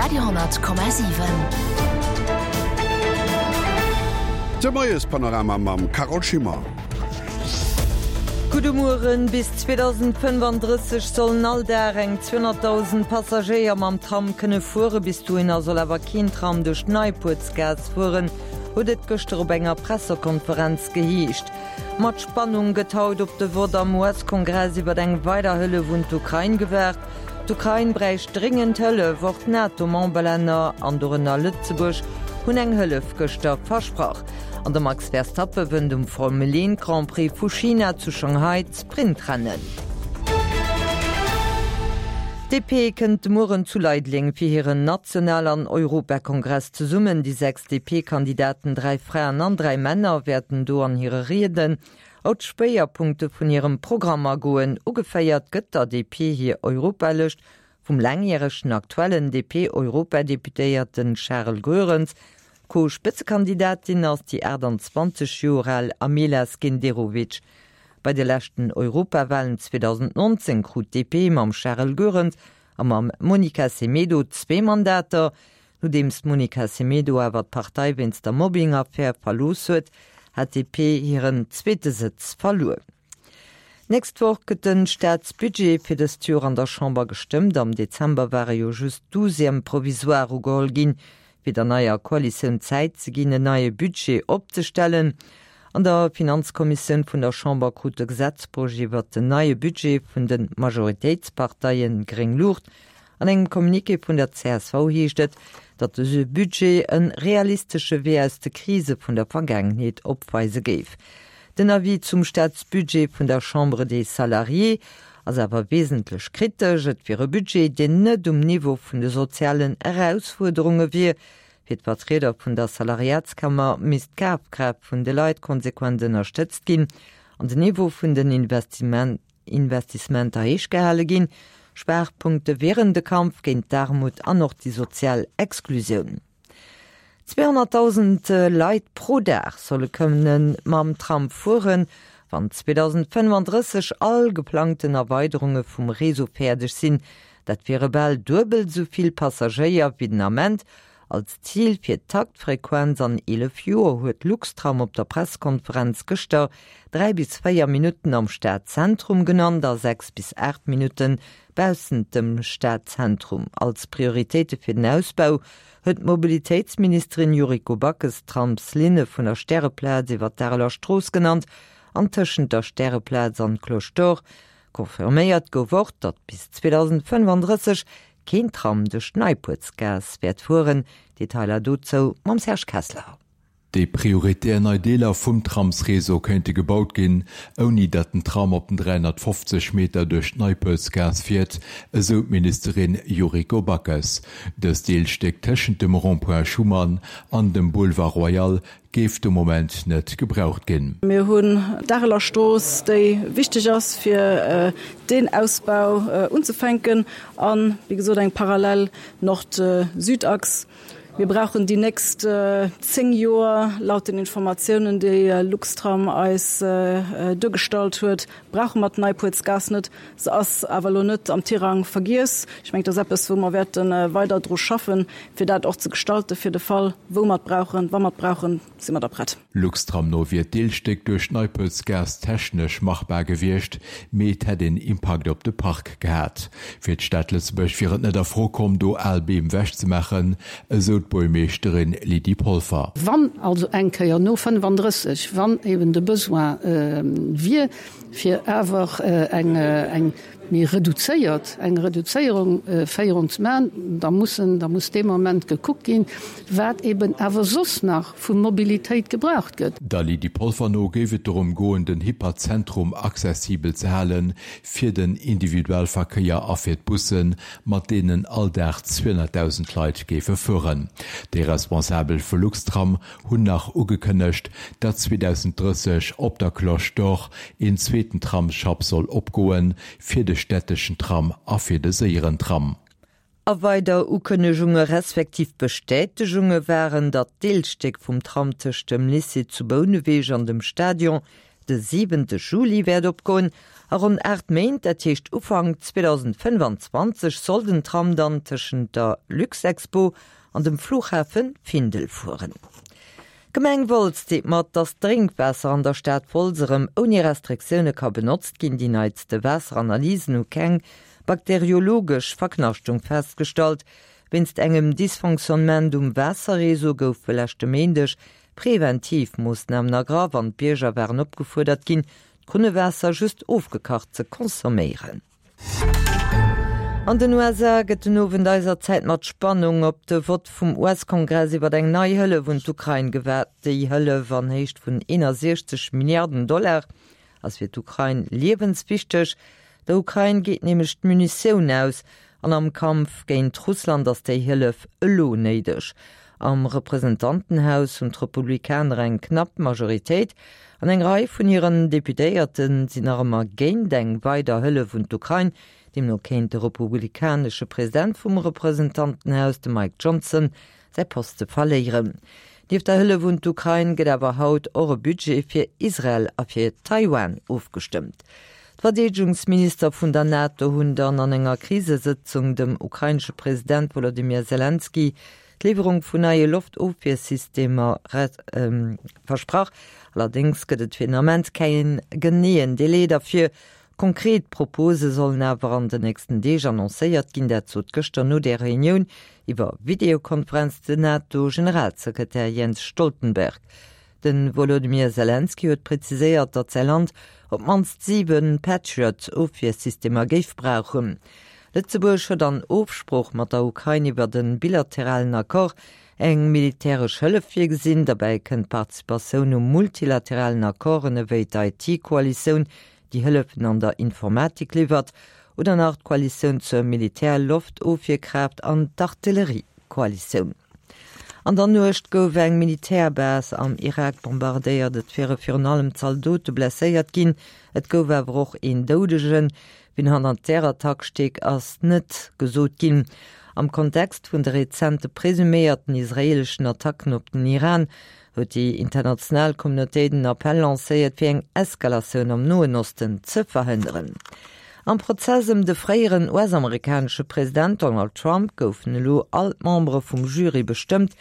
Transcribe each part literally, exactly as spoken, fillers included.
Radio honnert Komma siwen. De Moiespanorama mam Carole Schimmer. Gudde Mueren, Bis zweedausendfënnefandrësseg sollen all Dag eng zweehonnertdausend Passagéier mam Tram kënne fueren. Bis dohinner soll awer keen Tram duerch d'Neipuertsgaass fueren, huet et gëschter op enger Pressekonferenz geheescht. Mat Spannung gëtt haut op de Vott am U S-Kongress iwwer eng weider Hëllef un d'Ukrain gewaart. D'Ukrain bräicht dréngend Hëllef, och d'NATO-Memberlänner, an dorënner Lëtzebuerg, hunn eng Hëllef gëschter versprach. An de Max Verstappe wënnt um Formel een Grand Prix vu China zu Shanghai d'Sprintrennen. D P kënnt de Mueren zu Leideleng fir hiren National an Europakongress zesummen. Déi sechs D P-Kandidaten, dräi Fraen an dräi Männer, wäerten do an hire Rieden op d'Schwéierpunkte vun hirem Programm agoen. Ugeféiert gëtt der D P hir Europalëscht vum laangjäregen aktuellen D P-Europadeputéierten Charles Goerens. Co-Spëtzekandidatin ass déi aachtanzwanzeg Joer al Amela Skenderovic. Bei de leschten Europawalen zweedausendnonzéng krut d'D P mam Charles Goerens a mam Monica Semedo zwee Mandater. Nodeems d'Monica Semedo awer d'Partei wéinst der Mobbing-Affär verlooss huet, hat d'D P hiren zweete Sëtz verluer. D'nächst Woch gëtt de Staatsbudget fir dëst Joer an der Chamber gestëmmt. Am Dezember ware jo just Douzièmes provisoires ugeholl ginn, fir der neier Koalitioun Zäit ze ginn, en neie Budget opzestellen. An der Finanzkommissioun vun der Chamber krut de Gesetzprojet iwwert den neie Budget vun de Majoritéitsparteie gréng Luucht. An engem Communiqué vun der C S V heescht et, datt dëse Budget e realistesche Wee aus de Krise vun der Vergaangenheet opweise géif. Den Avis zum Staatsbudget vun der Chambre des Salariés ass awer wesentlech kritesch. Et wier e Budget, deen net um Niveau vun de sozialen Erausfuerderunge wier. Fir d'Vertrieder vun der Salariatskammer misst d'Kafkraaft vun de Leit konsequent ënnerstëtzt ginn an den Niveau vun den Investissementer héich gehale ginn. Schwaachpunkte wieren de Kampf géint d'Aarmut an och déi sozial Exklusioun. Zweehonnertdausend Leit pro Dag solle kënne mam Tram fueren, wann zweedausendfënnefandrësseg all geplangten Erweiderunge vum Réseau fäerdeg sinn. Dat wiere bal duebel esou vill Passagéier wéi den Ament. Als Zil fir d'Taktfrequenz an eelef Joer huet Luxtram op der Presskonferenz gëschter dräi bis véier Minutten am Stadzentrum genannt a sechs bis aacht Minutte baussent dem Stadzentrum. Als Prioritéite fir den Ausbau huet d'Mobilitéitsministerin Yuriko Backes d'Tramslinne vun der Stäreplaz iwwer d'Areler Strooss genannt an tëschent der Stäreplaz an Cloche d'Or. Confirméiert gouf och, datt bis zweedausendfënnefandrësseg keen Tram duerch d'Neipuertsgaass wäert fueren. Detailer dozou mam Serge Kessler. Déi prioritär nei Deeler vum Tramsreseau kéinte gebaut ginn, ouni datt den Tram op den dräihonnertfofzeg Meter duerch d'Neipuertsgaass fiert, esou d'Ministerin Yuriko Backes. Dëst Deelstéck tëschent dem Rond-point Schuman an dem Boulevard Royal géif de Moment net gebraucht ginn. Mir hunn d'Areler Strooss, déi wichteg ass fir deen Ausbau unzefänken an, wéi gesot, eng parallel Nord-Süd-Achs. Mir brauchen déi nächst zéng Joer, laut den Informatiounen, déi Luxtram eis duergestallt huet, brauche mer d'Neipuertsgaass net. Se ass awer elo net am Tirang vergiess. Ech mengen, dat ass eppes, wou mer wäerte weider dru schaffen, fir dat och ze gestalten, fir de Fall, wou mer et brauchen, wa mer et brauchen, si mer da prett. Luxtram no wier d'Deelstéck duerch d'Neipuertsgaass technesch machbar gewiescht, mee et hätt een Impakt op de Park gehat. Fir d'Stad Lëtzebuerg wier et net a Fro komm, do al Beem ewechzemaachen, esou d'Buergermeeschterin Lydie Polfer. Wann also eng Kéier no fënnefandrësseg, wann eben de Besoin wier, fir awer eng eng méi reduzéiert, eng Reduzéierung, Féierung ze maachen, da mussen, da muss dee Moment gekuckt ginn, wat eben awer soss nach vu Mobilitéit gebraucht gëtt. Der Lydie Polfer no géif et dorëm goen, den Hyperzentrum accessibel ze halen, fir den Individualverkéier a fir d'Bussen, mat deenen all Dag zweehonnertdausend Leit géife fueren. Déi Responsabel vu Luxtram hunn nach ugekënnegt, datt zweedausenddrësseg op der Cloche d'Or een zweeten Tramsschapp soll opgoen, fir de städteschen Tram a fir de séieren Tram. A weider Ukënnegunge respektiv Bestätegunge waren, datt d'Deelstéck vum Tram tëscht dem Lycée zu Bouneweg an dem Stadion de siwente Juli wäert opgoen A ronn aacht Méint, dat heescht Ufank zweedausendfënnefanzwanzeg, soll den Tram dann tëschent der Luxexpo an dem Flughafe Findel fueren. D'Gemeng Wolz deelt mat, datt d'Drénkwaasser an der Stad Wolz erëm ouni Restriktioune ka benotzt ginn. Déi neitste Waasseranalysen hu keng bakteriologesch Verknaschtung festgestallt. Wéinst engem Dysfonctionnement um Waasserreseau goufe leschte Méindeg preventiv Moossnamen ergraff an d'Bierger waren opgefuerdert ginn, d'Krunnewaasser just ofgekacht ze consomméieren. An den U S A gëtt den Owend eiser Zäit mat Spannung op de Vott vum U S-Kongress iwwer eng nei Hëllef un d'Ukrain gewaart. Déi Hëllef an Héicht vun eenasechzeg Milliarden Dollar ass fir d'Ukrain liewenswichteg. Der Ukrain geet nämlech d'Munitioun aus an am Kampf géint Russland ass déi Hëllef elo néideg. Am Representantenhaus hunn d'Republikaner eng knapp Majoritéit an eng Rei vun hiren Deputéierte sinn nach ëmmer géint eng weider Hëllef un d'Ukrain. Deemno kéint de republikanesche President vum Representantenhaus, de Mike Johnson, säi Poste verléieren. Nieft der Hëllef un d'Ukrain gëtt awer haut och e Budget fir Israel a fir Taiwan ofgestëmmt. D'Verdeedegungsminister vun der NATO hunn dann an enger Krisesëtzung dem ukrainesche President Wolodymyr Selenskyj d'Liwwerung vun neie Loftofwiersystemer versprach. Allerdéngs gëtt et fir den Ament keen geneeën Delai derfir. Konkret Propose sollen awer an den nächsten Deeg annoncéiert ginn, dat sot gëschter no der Reunioun iwwer Videokonferenz den NATO-Generalsekretär Jens Stoltenberg. De Wolodymyr Selenskyj huet preziséiert, datt säi Land op d'mannst siwe Patriot-Ofwiersystemer géif brauchen. Lëtzebuerg huet an Ofsprooch mat der Ukrain iwwer de bilateralen Accord eng militäresch Hëllef virgesinn. Derbäi kënnt d'Participatioun u multilateralen Accorden ewéi d'I T-Koalitioun, déi Hëllefen an der Informatik liwwert, oder nach d'Koalitioun zur Militär-Loftofwierkraaft an d'Artilleriekoalitioun. An der Nuecht gouf eng Militärbase am Irak bombardéiert. Et wiere virun allem Zaldote blesséiert ginn, et gouf awer och een Doudegen. Wien hannert där Attack steet, ass net gesot ginn. Am Kontext vun de rezente presuméierten israeeleschen Attacken op den Iran huet déi international Communautéit en Appell lancéiert, fir eng Eskalatioun am Noen Osten ze verhënneren. Am Prozess ëm de fréieren U S-amerikanesche President Donald Trump goufen elo all d'Membere vum Jury bestëmmt,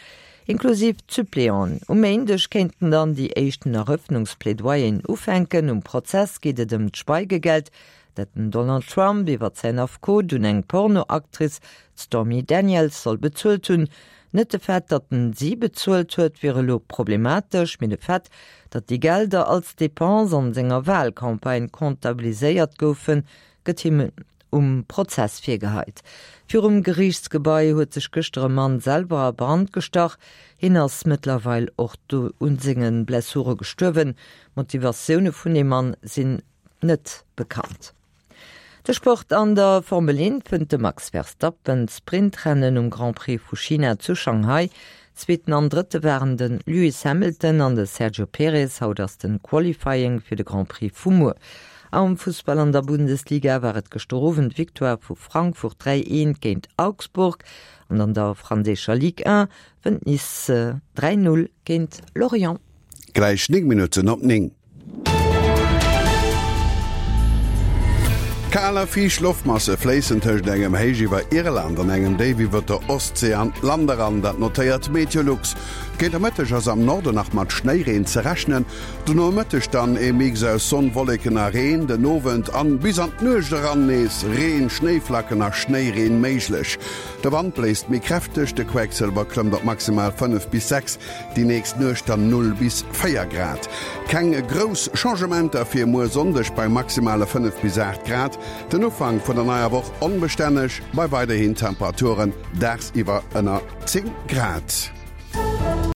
inklusiv d'Suppléanten. Um Méindeg kéinten dann déi éischten Erëffnungsplädoyeren ufänken. Um Prozess geet et ëm d'Schweigegeld, dat den Donald Trump iwwer säin Affekot un eng Pornoactrice, d'Stormy Daniels, soll bezuelt hunn. Net de Fait, datt en si bezuelt huet, wier elo problematesch, mee de Fait, datt déi Gelder als Depense an senger Walcampagne comptabiliséiert goufen, gëtt him um Prozess virgeheit. Virum Geriichtsgebai huet sech gëschter e Mann selwer a Brand gestach. Hien ass mëttlerweil och do un senge Blessure gestuerwen. D'Motivatioune vun deem Mann sinn net bekannt. De Sport: An der Formel eent wënnt de Max Verstappen d'Sprintrennen um Grand Prix vu China zu Shanghai. Zweeten an Drëtte waren de Lewis Hamilton an de Sergio Perez. Haut ass de Qualifying fir de Grand Prix vu muer. Am Fussball an der Bundesliga war et gëschter Owend d'Victoire vu Frankfurt dräi eent géint Augsburg an an der franséischer Ligue een wënnt Nice dräi null géint Lorient. Gläich néng Minutten op néng. Kal a fiicht Loftmasse fléissen tëscht engem Héich iwwer Irland an engem Déif iwwer der Ostsee an d'Land eran, dat notéiert Meteolux. Géint de Mëtteg ass am Norden nach mat Schnéireen ze rechnen, de Nomëtteg dann e Mix aus Sonn, Wolleken a Reen, den Owend an bis an d'Nuecht eran nees Reen, Schnéiflacken a Schnéireen méiglech. De Wand bléist méi kräfteg, de Quecksëlwer klëmmt op maximal fënnef bis sechs, déi nächst Nuecht dann null bis véier Grad. Keng grouss Changementer fir muer Sonndeg bei maximale fënnef bis aacht Grad. Den Ufank vun der neier Woch onbestänneg bei weiderhin Temperaturen dagsiwwer ënner zéng Grad.